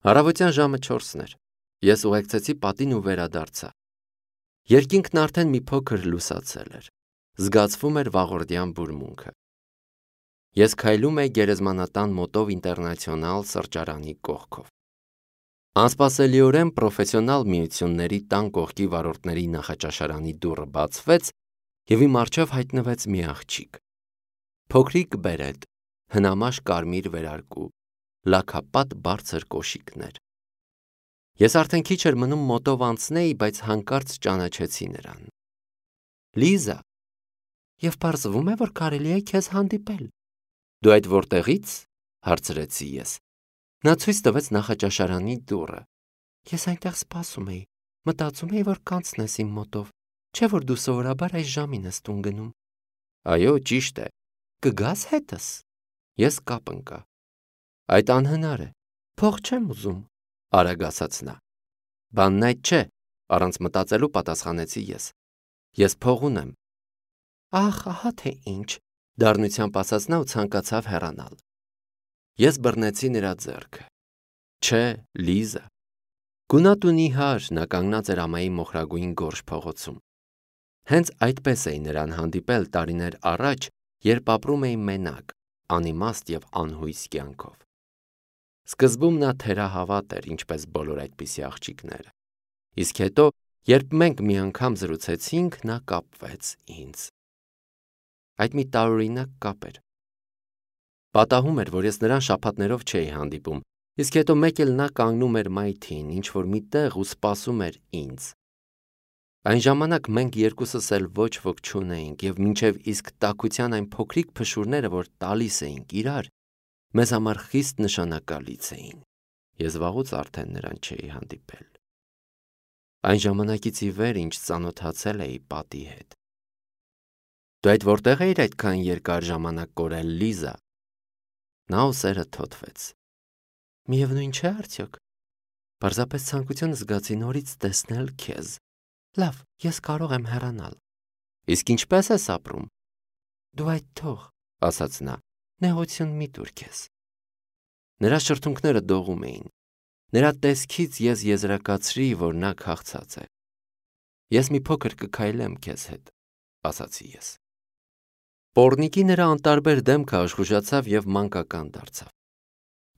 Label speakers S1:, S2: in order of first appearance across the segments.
S1: Առավոտյան ժամը 4-ն էր։ Ես ուղեկցեցի պատին ու վերադարձա։ Երկինքն արդեն մի փոքր լուսացել էր։ Զգացվում էր վաղորդյան բուրմունքը։ Ես քայլում էի Գերեզմանատան մոտով ինտերնացիոնալ սրճարանի կողքով։ Անսպասելիորեն պրոֆեսիոնալ միությունների տան կողքի վարորդների նախաճաշարանի դուռը բացվեց և իմ առջև հայտնվեց մի աղջիկ։ Փոքրիկ բերետ, հնամաշ կարմիր վերարկու, լաքապատ բարձր կոշիկներ։ Ես արդեն քիչ էր մնում մոտով անցնեի, բայց հանկարծ ճանաչեցի նրան։ Լիզա, և պարզվում է, որ կարելի է քեզ հանդիպել։ Դու այդ որտեղի՞ց, հարցրեցի ես։ Նա ցույց տվեց նախաճաշարանի դուռը։ Ես այնտեղ սպասում էի, մտածում էի, որ կանցնես իմ մոտով, չէ՞ որ դու սովորաբար այս ժամին ես տուն գնում։ Այո, ճիշտ է։ Կգաս հետս։ Ես կապ ընկա։ Այդ անհնար է։ Փող չեմ ուզում, արագ ասաց նա։ Բանն այդ չէ, առանց մտածելու պատասխանեցի ես։ Ես փող ունեմ։ Ահ, ահա թե ինչ, դառնությամբ ասաց նա ու ցանկացավ հեռանալ։ Ես բռնեցի նրա ձեռքը։ Չէ, Լիզա։ Գունատ ու նիհար նա կանգնած էր ամայի մոխրագույն գորշ փողոցում։ Հենց այդպես էի նրան հանդիպել տարիներ առաջ, երբ ապրում էի մենակ, անիմաստ և անհույս կյանքով։ Սկզբում նա թերահավատ էր, ինչպես բոլոր այդպիսի աղջիկները։ Իսկ հետո, երբ մենք մի անգամ զրուցեցինք, նա կապվեց ինձ։ Այդ մի տարօրինակ կապ էր։ Պատահում էր, որ ես նրան շաբաթներով չէի հանդիպում, իսկ հետո մեկ էլ նա կանգնում էր մայթին, ինչ-որ մի տեղ ու սպասում էր ինձ։ Այն ժամանակ մենք երկուսս էլ ոչ ոք չունեինք, և մինչև իսկ տաքության այն փոքրիկ փշուրները, որ տալիս էինք իրար, մեզ համար խիստ նշանակալից էին։ Ես վաղուց արդեն նրան չէի հանդիպել։ Այն ժամանակից ի վեր, ինչ ծանոթացել էի պատի հետ։ Դու այդ որտեղ էիր այդքան երկար ժամանակ կորել, Լիզա։ Նա ուսերը թոթվեց։ Միևնույն չէ արդյոք։ Պարզապես ցանկություն զգացի նորից տեսնել քեզ։ Լավ, ես կարող եմ հեռանալ։ Իսկ ինչպես ես ապրում։ Դու այդ թող, ասաց նա, նեղություն մի տուր քեզ։ Նրա շրթունքները դողում էին։ Նրա տեսքից ես եզրակացրի, որ նա քաղցած է։ Ես մի փոքր կքայլեմ քեզ հետ, ասացի ես։ Պոռնիկի նրա անտարբեր դեմքը աշխուժացավ և մանկական դարձավ։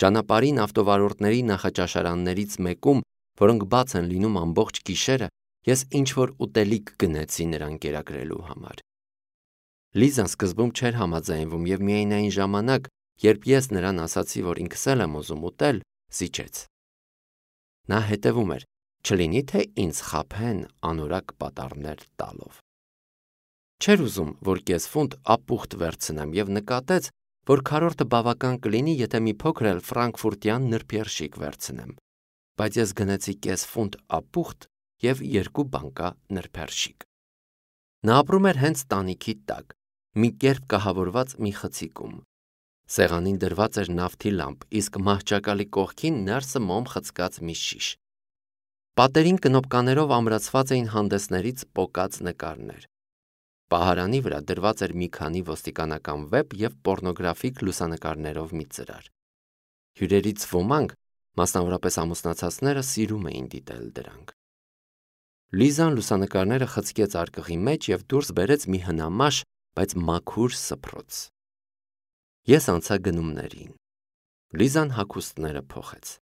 S1: Ճանապարհին ավտովարորդների նախաճաշարաններից մեկում, որոնք բաց են լինում ամբողջ գիշերը, ես ինչ-որ ուտելիք գնեցի նրան կերակրելու համար։ Լիզան սկզբում չէր համաձայնվում և միայն այն ժամանակ, երբ ես նրան ասացի, որ ինքս էլ եմ ուզում ուտել, զիջեց։ Նա հետևում էր, չլինի թե ինձ խաբեն անորակ պատառներ տալով։ Չէր ուզում, որ կեսֆունտ ապուխտ վերցնեմ և նկատեց, որ քառորդը բավական կլինի, եթե մի փոքր էլ ֆրանկֆուրտյան նրբերշիկ վերցնեմ, բայց ես գնեցի կեսֆունտ ապուխտ և 2 բանկա նրբերշիկ։ Նա ապրում էր հենց տանիքի տակ, մի կերպ կահավորված մի խցիկում։ Սեղանին դրված էր նավթի լամպ, իսկ մահճակալի կողքին ներսը մոմ խցկած մի շիշ։ Պատերին կնոպկաներով ամրացված էին հանդեսներից պոկած նկարներ։ Պահարանի վրա դրված էր մի քանի ոստիկանական վեպ և պոռնոգրաֆիկ լուսանկարներով մի ծրար։ Հյուրերից ոմանք, մասնավորապես ամուսնացածները, սիրում էին դիտել դրանք։ Լիզան լուսանկարները խցկեց արկղի մեջ և դուրս բերեց մի հնամաշ, բայց մաքուր սփռոց։ Ես անցա գնումներին։ Լիզան հագուստները փոխեց։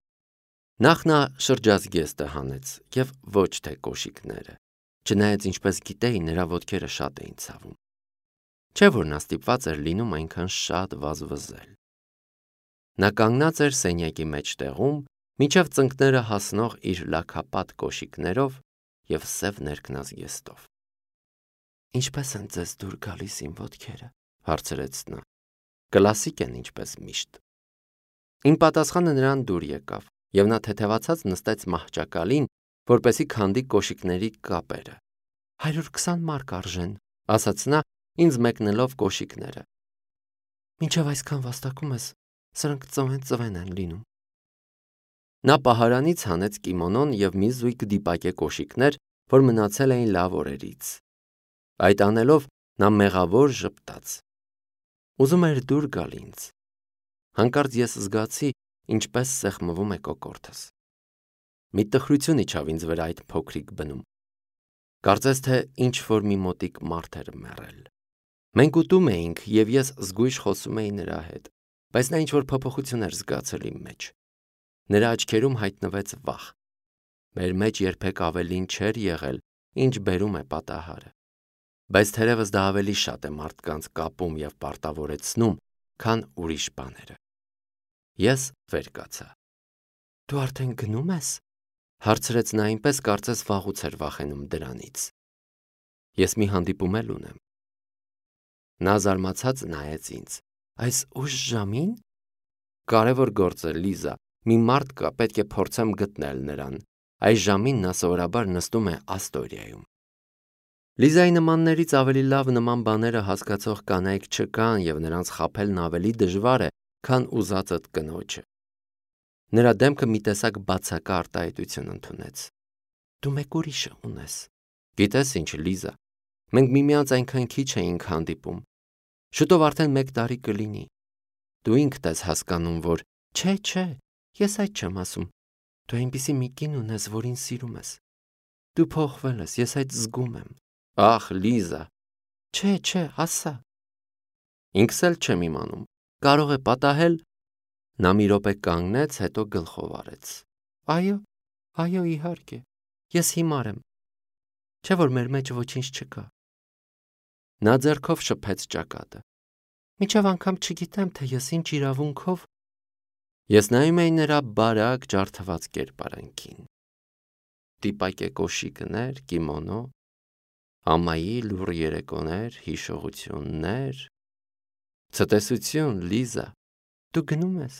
S1: Նախ նա շրջազգեստը հանեց և ոչ թե կոշիկները, չնայած ինչպես գիտեի, նրա ոտքերը շատ էին ցավում։ Չէ՞ որ նա ստիպված էր լինում այնքան շատ վազվզել։ Նա կանգնած էր սենյակի մեջտեղում, մինչև ծնկները հասնող իր լաքապատ կոշիկներով և սև ներքնազգեստով։ Ինչպե՞ս են ձեզ դուր գալիս իմ ոտքերը, հարցրեց նա։ Կլասիկ են, ինչպես միշտ։ Իմ պատասխանը նրան դուր եկավ, և նա թեթևացած նստեց մահճակալին, որպեսզի քանդի կոշիկների կապերը։ 120 մարկ արժեն, ասաց նա, ինձ մեկնելով կոշիկները։ Մինչև այսքան վաստակում ես, սրանք ծվեն են լինում։ Նա պահարանից հանեց կիմոնոն և մի զույգ դիպակե կոշիկներ, որ մնացել էին լավ օրերից։ Այդ անելով նա մեղավոր ժպտաց։ Ուզում էր դուր գալ ինձ։ Հանկարծ ես զգացի, ինչպես սեղմվում է կոկորդս։ Մի տխրություն իջավ ինձ վրա այդ փոքրիկ բնում։ Կարծես թե ինչ-որ մի մոտիկ մարդ էր մեռել։ Մենք ուտում էինք, և ես զգույշ խոսում էի նրա հետ, բայց նա ինչ-որ փոփոխություն էր զգացել իմ մեջ։ Նրա աչքերում հայտնվեց վախ։ Մեր մեջ երբեք ավելին չէր եղել, ինչ բերում է պատահարը։ Բայց թերևս դա ավելի շատ է մարդկանց կապում և պարտավորեցնում, քան ուրիշ բաները։ Ես վեր կացա։ Դու արդեն գնում ես, հարցրեց նա այնպես, կարծես վաղուց էր վախենում դրանից։ Ես մի հանդիպում էլ ունեմ։ Նա զարմացած նայեց ինձ։ Այս ուշ ժամին։ Կարևոր գործ է, Լիզա, մի մարդ կա, պետք է փորձեմ գտնել նրան։ Այս ժամին նա սովորաբար նստում է Աստորիայում։ Լիզայի նմաններից ավելի լավ նման բաները հասկացող կանայք չկան, և նրանց խաբելն ավելի դժվար է, քան ուզածդ կնոջը։ Նրա դեմքը մի տեսակ բացակա արտահայտություն ընդունեց։ Դու մեկ ուրիշը ունես։ Գիտես ինչ, Լիզա, մենք միմյանց այնքան քիչ էինք հանդիպում։ Շուտով արդեն 1 տարի կլինի։ Դու ինքդ ես հասկանում, որ չէ, ես այդ չեմ ասում։ Դու այնպիսի մի կին ունես, որին սիրում ես։ Դու փոխվել ես, ես այդ զգում եմ։ Ախ, Լիզա։ Չէ, ասա։ Ինքս էլ չեմ իմանում։ Կարող է պատահել։ Նա մի րոպե կանգնեց, հետո գլխով արեց։ Այո, իհարկե, ես հիմար եմ։ Չէ՞ որ մեր մեջ ոչինչ չկա։ Նա ձեռքով շփեց ճակատը։ Մինչև անգամ չգիտեմ, թե ես ինչ իրավունքով։ Ես նայում էի նրա բարակ, ջարդված կերպարանքին։ Տիպակե կոշիկներ, կիմոնո, ամայի լուռ երեկոներ, հիշողություններ։ Ցտեսություն, Լիզա։ Դու գնում ես։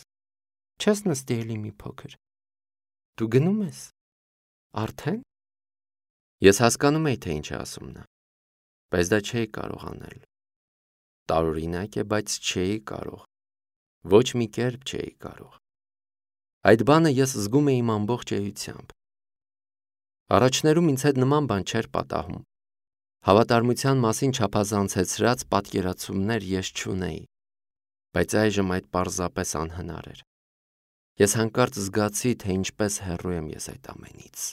S1: Չես նստի էլի մի փոքր։ Դու գնում ես։ Արդեն։ Ես հասկանում էի, թե ինչ է ասում նա, բայց դա չէի կարող անել։ Տարօրինակ է, բայց չէի կարող։ Ոչ մի կերպ չէի կարող։ Այդ բանը ես զգում էի իմ ամբողջ էությամբ։ Առաջներում ինձ հետ նման բան չէր պատահում։ Հավատարմության մասին չափազանցեցրած պատկերացումներ ես չունեի, բայց այժմ այդ պարզապես անհնար էր։ Ես հանկարծ զգացի, թե ինչպես հեռու եմ ես այդ ամենից։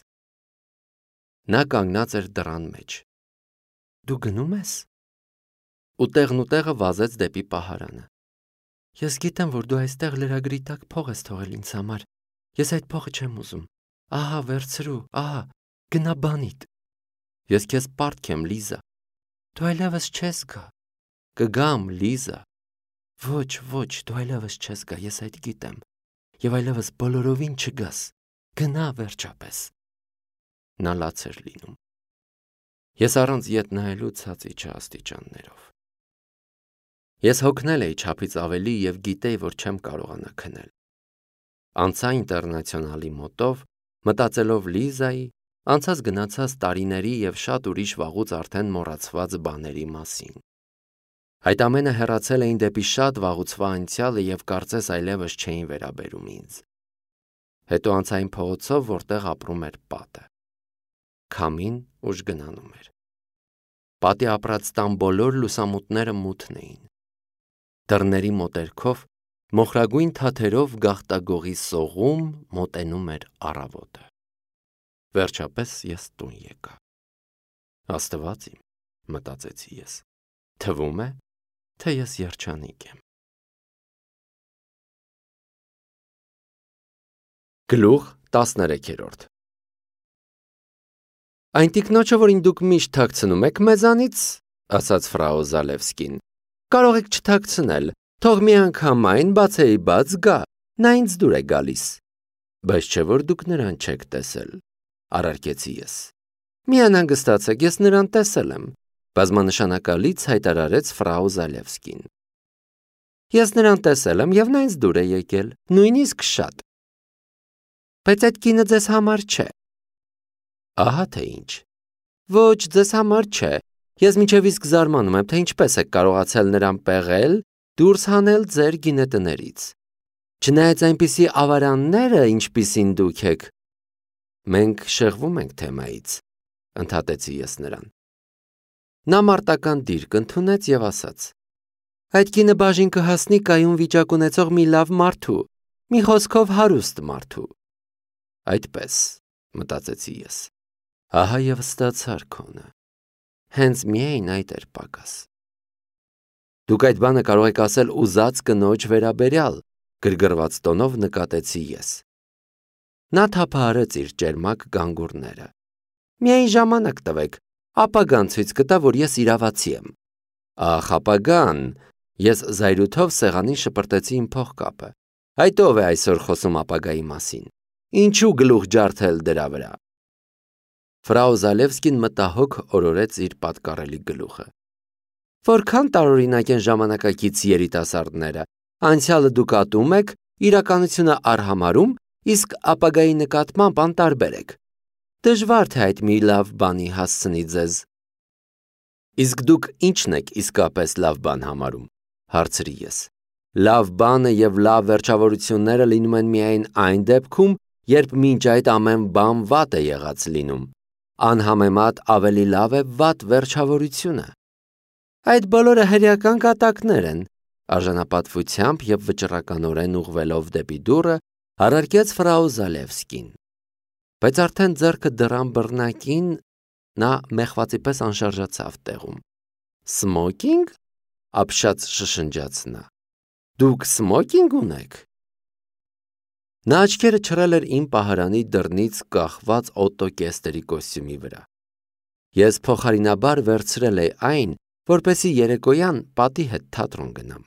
S1: Նա կանգնած էր դռան մեջ։ Դու գնում ես։ Ու տեղը վազեց դեպի պահարանը։ Ես գիտեմ, որ դու այստեղ լրագրի տակ փող ես թողել ինձ համար։ Ես այդ փողը չեմ ուզում։ Ահա, վերցրու, ահա, գնա բանիդ։ Ես քեզ պարտք եմ, Լիզա։ Դու այլևս չես գա։ Կգամ, Լիզա։ Ոչ, դու այլևս չես գա, ես այդ գիտեմ։ Եվ այլևս բոլորովին չգաս։ Գնա վերջապես։ Նա լաց էր լինում։ Ես առանց ետ նայելու ցած իջա աստիճաններով։ Ես հոգնել էի չափից ավելի և գիտեի, որ չեմ կարողանա քնել։ Անցա ինտերնացիոնալի մոտով, մտածելով Լիզայի, անցած գնացած տարիների և շատ ուրիշ վաղուց արդեն մոռացված բաների մասին։ Այդ ամենը հեռացել էին դեպի շատ վաղուցվա անցյալը և կարծես այլևս չէին վերաբերում ինձ։ Հետո անցա այն փողոցով, որտեղ ապրում էր պատը։ Քամին ուժ գնանում էր։ Պատի ապրած տան բոլոր լուսամուտները մութն էին։ Դռների մոտերքով մոխրագույն թաթերով գաղտագողի սողում մոտենում էր առավոտը։ Վերջապես ես տուն եկա։ Աստված իմ, մտածեցի ես, թվում է, թե ես երջանիկ եմ։ Գլուխ 13 Այն տիկնոջը, որին դուք միշտ թաքցնում եք մեզանից, ասաց ֆրау Զալևսկին, կարող եք չթաքցնել, թող մի անգամ այն բացեի բաց գա, նա ինձ դուր է գալիս։ Բայց չէ որ դուք նրան չեք տեսել, առարկեցի ես։ Մի անհանգստացեք, ես նրան տեսել եմ, բազմանշանակալից հայտարարեց ֆրау Զալևսկին։ Ես նրան տեսել եմ և նա ինձ դուր է եկել, նույնիսկ շատ։ Բայց այդ կինը ձեզ համար չէ։ Ահա թե ինչ։ Ոչ, ձեզ համար չէ։ Ես մինչև իսկ զարմանում եմ, թե ինչպես եք կարողացել նրան պեղել, դուրս հանել ձեր գինետներից։ Չնայած այնպիսի ավարանները, ինչպիսին դուք եք։ Մենք շեղվում ենք թեմայից, ընդհատեցի ես նրան։ Նա մարտական դիրք ընդունեց և ասաց. Այդ կինը բաժին կհասնի կայուն վիճակ ունեցող մի լավ մարդու, Մի խոսքով հարուստ մարդու։ Այդպես, մտածեցի ես։ Ահա եւ ստացար քոնը։ Հենց միայն այդ էր պակաս։ Դուք այդ բանը կարող եք ասել ուզած կնոջ վերաբերյալ, գրգռված տոնով նկատեցի ես։ Նա թափահարեց իր ճերմակ գանգուրները։ Միայն ժամանակ տվեք, ապագան ցույց կտա, որ ես իրավացի եմ։ Ախ, ապագան, ես զայրույթով սեղանին շպրտեցի իմ փողկապը։ Այդ ով է այսօր խոսում ապագայի մասին։ Ինչու գլուխ ջարդել դրա վրա։ Ֆրау Զալևսկին մտահոգ օրորեց իր պատկառելի գլուխը։ Որքան տարօրինակ են ժամանակակից երիտասարդները, անցյալը դուք ատում եք, իրականությունը արհամարում, իսկ ապագայի նկատմամբ անտարբեր եք։ Դժվար թե այդ մի լավ բանի հասցնի ձեզ։ Իսկ դուք ի՞նչն եք իսկապես լավ բան համարում, հարցրի ես։ Լավ բանը եւ լավ վերջավորությունները լինում են միայն այն դեպքում, երբ մինչ այդ ամեն բան վատ է եղած լինում։ Անհամեմատ ավելի լավ է վատ վերջավորությունը։ Այդ բոլորը հրեական կատակներ են, արժանապատվությամբ եւ վճռականորեն ուղղվելով դեպի դուռը, առարկեց ֆրау Զալևսկին։ Բայց արդեն ձեռքը դռան բռնակին նա մեղվածի պես անշարժացավ տեղում։ Սմոքինգ? Ապշած շշնջաց նա։ Դուք սմոքինգ ունեք։ Նա աչքերը չռել էր իմ պահարանի դռնից կախված օտոկեստերի կոստյումի վրա։ Ես փոխարինաբար վերցրել էի այն, որպեսզի երեկոյան պատի հետ թատրոն գնամ։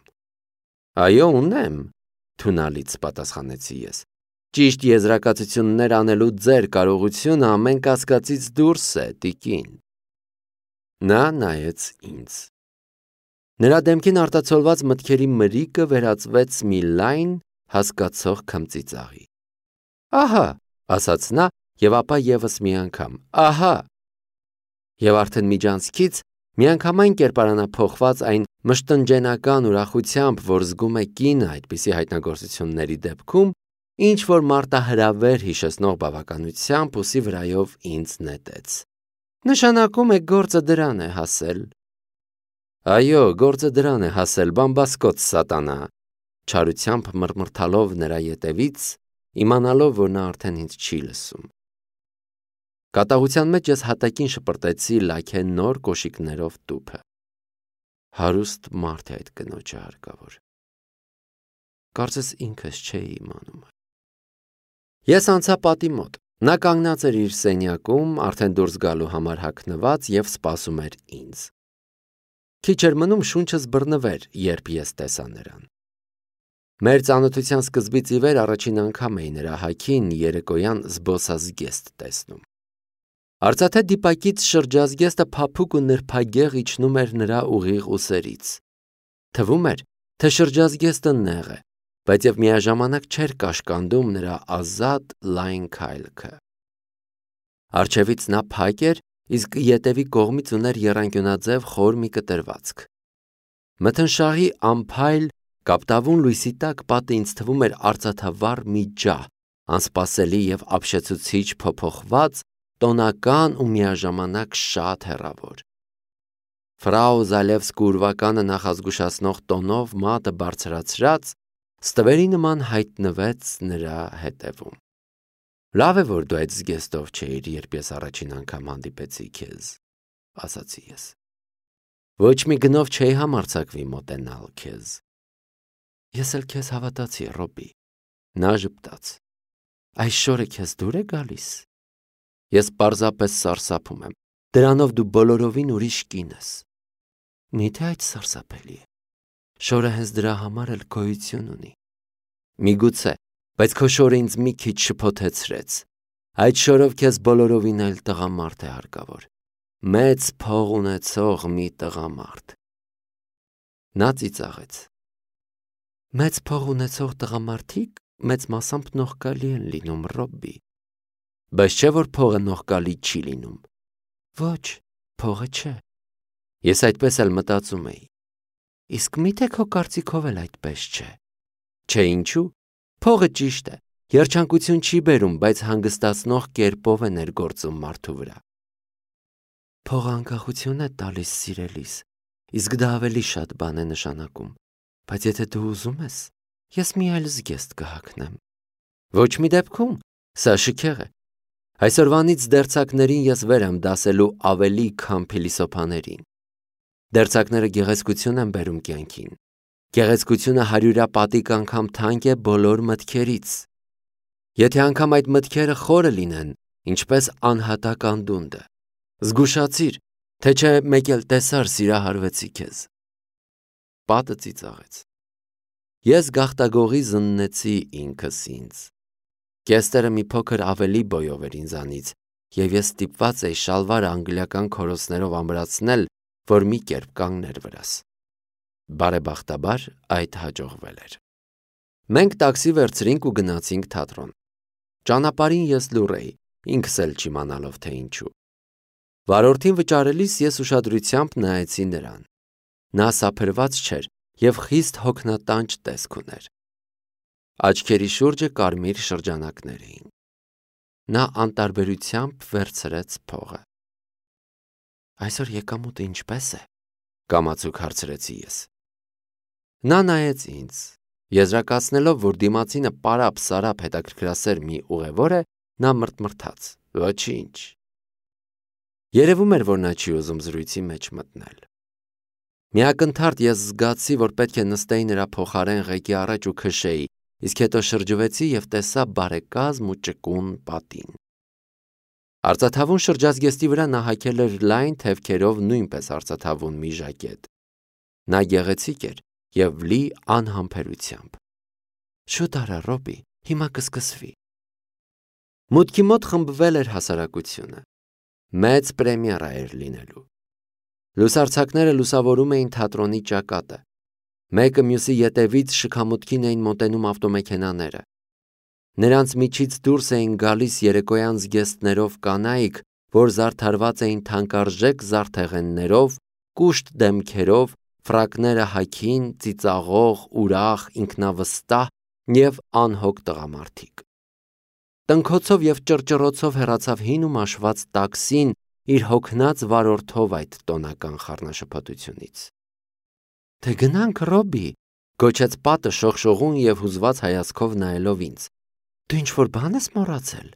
S1: Այո, ունեմ, թունալից պատասխանեցի ես։ Ճիշտ եզրակացություններ անելու ձեր կարողությունը ամեն կասկածից դուրս է, տիկին։ Նա նայեց ինձ։ Նրա դեմքին արտացոլված մտքերի մրիկը վերածվեց մի լայն, հասկացող քմծիծաղի։ Ահա, ասաց նա եւ ապա եւս մի անգամ։ Ահա։ Եվ արդեն միջանցքից միանգամայն կերպարանափոխված այն մշտնջենական ուրախությամբ, որ զգում է կինը այդպիսի հայտնագործությունների դեպքում, ինչ որ մարտահրավեր հիշեցնող բավականությամբ ուսի վրայով ինձ նետեց։ Նշանակում է գործը դրան է հասել։ Այո, գործը դրան է հասել, բամբասկոց սատանա, չարությամբ մռմռթալով նրա ետևից, իմանալով, որ նա արդեն ինձ չի լսում։ Կատաղության մեջ ես հատակին շպրտեցի լաքե նոր կոշիկներով տուփը։ Հարուստ մարդ է այդ կնոջը հարկավոր։ Կարծես ինքս չէի իմանում։ Ես անցա պատի մոտ։ Նա կանգնած էր իր սենյակում, արդեն դուրս գալու համար հագնված եւ սպասում էր ինձ։ Քիչ էր մնում շունչս բռնվեր, երբ ես տեսա նրան։ Մեր ծանոթության սկզբից ի վեր առաջին անգամ էի նրա հագին երեկոյան զբոսազգեստ տեսնում։ Արծաթե դիպակից շրջազգեստը փափուկ ու նրբագեղ իջնում էր նրա ուղիղ ուսերից։ Թվում էր, թե շրջազգեստը նեղ է, բայց եւ միաժամանակ չէր կաշկանդում նրա ազատ լայն քայլքը։ Արջևից նա փակ էր, իսկ ետևի կողմից ուներ եռանկյունաձև խոր մի կտրվածք։ Մթնշաղի ամփայլ կապտավուն լույսի տակ պատը ինձ թվում էր արծաթավառ մի ջահ, անսպասելի եւ ապշեցուցիչ փոփոխված, տոնական ու միաժամանակ շատ հեռավոր։ Ֆրау Զալևսկու ուրվականը նախազգուշացնող տոնով մատը բարձրացրած, ստվերի նման հայտնվեց նրա հետևում։ Լավ է, որ դու այդ զգեստով չէիր, երբ ես առաջին անգամ հանդիպեցի քեզ, ասացի ես։ Ոչ մի գնով չէի համարձակվի մոտենալ քեզ։ Ես էլ քեզ հավատացի, Ռոբի։ Նա ժպտաց։ Այս շորը քեզ դուր է գալիս։ Ես պարզապես սարսափում եմ։ Դրանով դու բոլորովին ուրիշ կին ես։ Միթե այդ սարսափելի է։ Շորը հենց դրա համար էլ գոյություն ունի։ Միգուցե, բայց քո շորը ինձ մի քիչ շփոթեցրեց։ Այդ շորով քեզ բոլորովին այլ տղամարդ է հարկավոր։ Մեծ փող ունեցող մի տղամարդ։ Նա ծիծաղեց։ Մեծ փող ունեցող տղամարդիկ մեծ մասամբ նողկալի են լինում, Ռոբի։ Բայց չէ որ փողը նողկալի չի լինում։ Ոչ, փողը չէ։ Ես այդպես էլ մտածում էի։ Իսկ միթե քո կարծիքով էլ այդպես չէ։ Չէ ինչու։ Փողը ճիշտ է։ Երջանկություն չի բերում, բայց հանգստացնող կերպով է ներգործում մարդու վրա։ Փողը անկախություն է տալիս սիրելիս, իսկ դա ավելի շատ բան է նշանակում։ Բայց եթե դու ուզում ես, ես մի այլ զգեստ կհագնեմ։ Ոչ մի դեպքում, սա շքեղ է։ Այսօրվանից դերձակներին ես վեր եմ դասելու ավելի, քան փիլիսոփաներին։ Դերձակները գեղեցկություն են բերում կյանքին։ Գեղեցկությունը հարյուրապատիկ անգամ թանկ է բոլոր մտքերից։ Եթե անգամ այդ մտքերը խորը լինեն, ինչպես անհատակ անդունդը, զգուշացիր, թե չէ մեկ էլ տեսար սիրահարվեցի քեզ։ Պատը ծիծաղեց։ Ես գաղտագողի զննեցի ինքս ինձ։ Կեստերը մի փոքր ավելի բոյով էր ինձանից, և ես ստիպված էի շալվարը անգլիական քորոցներով ամրացնել, որ մի կերպ կանգներ վրաս։ Բարեբախտաբար այդ հաջողվել էր։ Մենք տաքսի վերցրինք ու գնացինք թատրոն։ Ճանապարհին ես լուռ էի, ինքս էլ չիմանալով թե ինչու։ Վարորդին վճարելիս ես ուշադրությամբ նայեցի նրան։ Նա սափրված չէր և խիստ հոգնատանջ տեսք ուներ։ Աչքերի շուրջը կարմիր շրջանակներ էին։ Նա անտարբերությամբ վերցրեց փողը։ Այսօր եկամուտը ինչպե՞ս է, կամացուկ հարցրեցի ես։ Նա նայեց ինձ, եզրակացնելով, որ դիմացինը պարապ-սարապ հետաքրքրասեր մի ուղևոր է, նա մրթմրթաց. Ոչինչ։ Երևում էր, որ նա չի ուզում զրույցի մեջ մտնել։ Միակնթարթ ես զգացի, որ պետք է նստեի նրա փոխարեն ղեկի առաջ ու քշեի, իսկ հետո շրջվեցի և տեսա բարեկազմ ու ճկուն պատին։ Արծաթավուն շրջազգեստի վրա նա հագել էր լայն թևքերով նույնպես արծաթավուն մի ժակետ։ Նա գեղեցիկ էր և լի անհամբերությամբ։ Շուտ արա, Ռոբի, հիմա կսկսվի։ Մուտքի մոտ խմբվել էր հասարակությունը։ Մեծ պրեմիերա էր լինելու։ Լուսարձակները լուսավորում էին թատրոնի ճակատը։ Մեկը մյուսի ետևից շքամուտքին էին մոտենում ավտոմեքենաները։ Նրանց միջից դուրս էին գալիս երեկոյան զգեստներով կանայք, որ զարդարված էին թանկարժեք զարդեղեններով, կուշտ դեմքերով, ֆրակները հագին, ծիծաղող, ուրախ, ինքնավստահ և անհոգ տղամարդիկ։ Տնքոցով և ճռճռոցով հեռացավ հին ու մաշված տաքսին իր հոգնած վարորդով այդ տոնական խառնաշփոթությունից։ Թե գնանք, Ռոբի, գոչեց պատը շողշողուն և հուզված հայացքով նայելով ինձ։ Դու ինչ-որ բան ես մոռացել։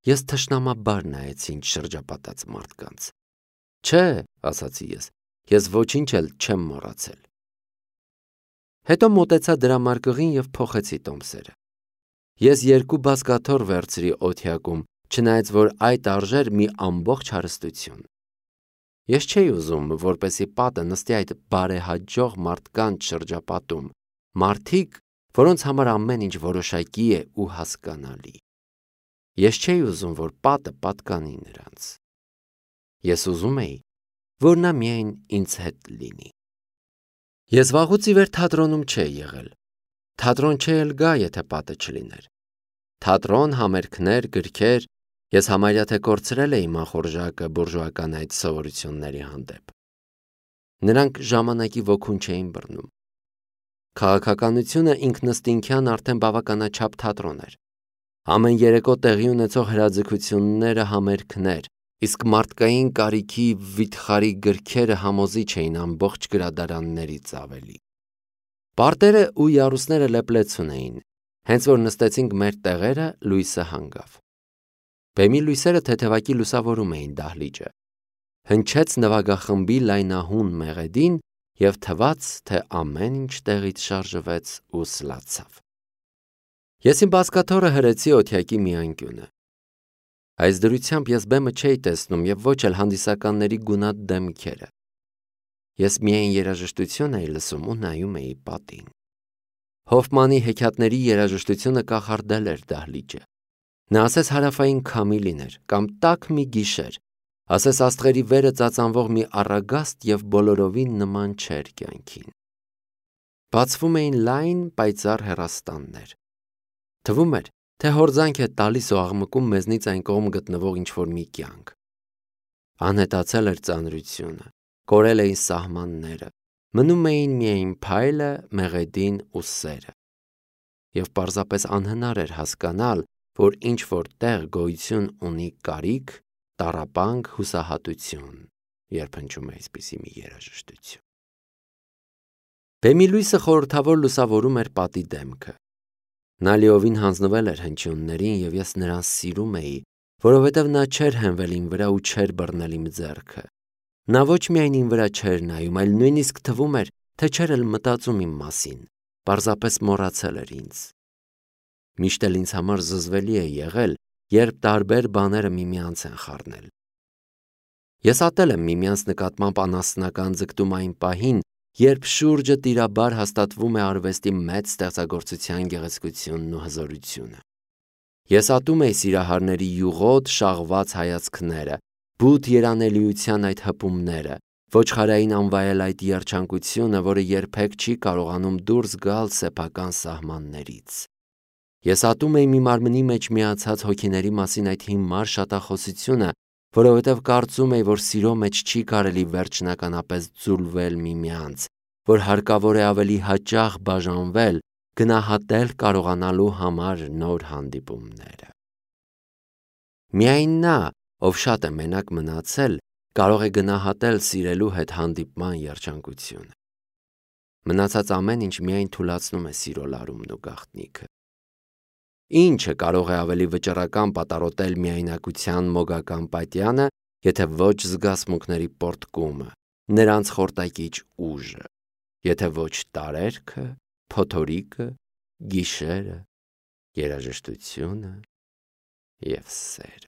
S1: Ես թշնամաբար նայեցի ինձ շրջապատած մարդկանց։ Չէ, ասացի ես ոչինչ էլ չեմ մոռացել։ Հետո մոտեցա դրամարկղին և փոխեցի տոմսերը։ Ես 2 բազկաթոռ վերցրի օթյակում, չնայած որ այդ արժեր մի ամբողջ հարստություն։ Ես չէի ուզում, որպեսզի պատը նստի այդ բարեհաջող մարդկանց շրջապատում, մարդիկ, որոնց համար ամեն ինչ որոշակի է ու հասկանալի։ Ես չէի ուզում, որ պատը պատկանի նրանց։ Ես ուզում էի, որ նա միայն ինձ հետ լինի։ Ես վաղուց ի վեր թատրոնում չէի եղել։ Թատրոն չէի էլ գա, եթե պատը չլիներ։ Թատրոն, համերգներ, գրքեր, ես համարյա թե կորցրել էի մախորժակը բուրժուական այդ սովորությունների հանդեպ։ Նրանք ժամանակի ոգուն չէին բռնում։ Քաղաքականությունը ինքնըստինքյան արդեն բավականաչափ թատրոն էր։ Ամեն երեկո տեղի ունեցող հրաձգությունները համերգներ, իսկ մարդկային կարիքի վիթխարի գրքերը համոզիչ էին ամբողջ գրադարաններից ավելի։ Պարտերը ու յարուսները լեփլեցուն էին, հենց որ նստեցինք մեր տեղերը, լույսը հանգավ։ Բեմի լույսերը թեթևակի լուսավորում էին դահլիճը։ Հնչեց նվագախմբի լայնահուն մեղեդին և թվաց, թե ամեն ինչ տեղից շարժվեց ու սլացավ։ Ես իմ բազկաթոռը հրեցի օթյակի մի անկյունը։ Այս դրությամբ ես բեմը չէի տեսնում և ոչ էլ հանդիսականների գունատ դեմքերը։ Ես միայն երաժշտություն էի լսում ու նայում էի պատին։ Հոֆմանի հեքիաթների երաժշտությունը կախարդել էր դահլիճը։ Նա ասես հարավային քամի լիներ կամ տաք մի գիշեր, ասես աստղերի վերը ծածանվող մի առագաստ և բոլորովին նման չէր կյանքին։ Բացվում էին լայն պայծառ հեռաստաններ։ Թվում էր, թե հորձանք է տալիս ու աղմկում մեզնից այն կողմ գտնվող ինչ-որ մի կյանք։ Անհետացել էր ծանրությունը, կորել էին սահմանները, մնում էին միայն փայլը, մեղեդին ու սերը։ Եվ պարզապես անհնար էր հասկանալ, որ ինչ-որ տեղ գոյություն ունի կարիք, տառապանք, հուսահատություն, երբ հնչում է այսպիսի մի երաժշտություն։ Բեմի լույսը խորհրդավոր լուսավորում էր պատի դեմքը։ Նա լիովին հանձնվել էր հնչյուններին և ես նրան սիրում էի, որովհետև նա չէր հենվել իմ վրա ու չէր բռնել իմ ձեռքը։ Նա ոչ միայն իմ վրա չէր նայում, այլ նույնիսկ թվում էր, թե չէր էլ մտածում իմ մասին, պարզապես մոռացել էր ինձ։ Միշտ էլ ինձ համար զզվելի է եղել, երբ տարբեր բաները միմյանց են խառնել։ Ես ատել եմ միմյանց նկատմամբ անասնական ձգտում այն պահին, երբ շուրջը տիրաբար հաստատվում է արվեստի մեծ ստեղծագործության գեղեցկությունն ու հզորությունը։ Ես ատում էի սիրահարների յուղոտ շաղված հայացքները, բութ երանելիության այդ հպումները, ոչխարային անվայել այդ երջանկությունը, որը երբեք չի կարողանում դուրս գալ սեփական սահմաններից։ Ես ատում էի մի մարմնի մեջ միացած հոգիների մասին այդ հիմար շատախոսությունը, որովհետև կարծում էի, որ սիրո մեջ չի կարելի վերջնականապես ձուլվել միմյանց, որ հարկավոր է ավելի հաճախ բաժանվել, գնահատել կարողանալու համար նոր հանդիպումները։ Միայն նա, ով շատ է մենակ մնացել, կարող է գնահատել սիրելու հետ հանդիպման երջանկությունը։ Մնացած ամեն ինչ միայն թուլացնում է սիրո լարումն ու գաղտնիքը։ Ինչը կարող է ավելի վճռական պատառոտել միայնակության մոգական պատյանը, եթե ոչ զգացմունքների պոռթկումը, նրանց խորտակիչ ուժը, եթե ոչ տարերքը, փոթորիկը, գիշերը, երաժշտությունը և սերը։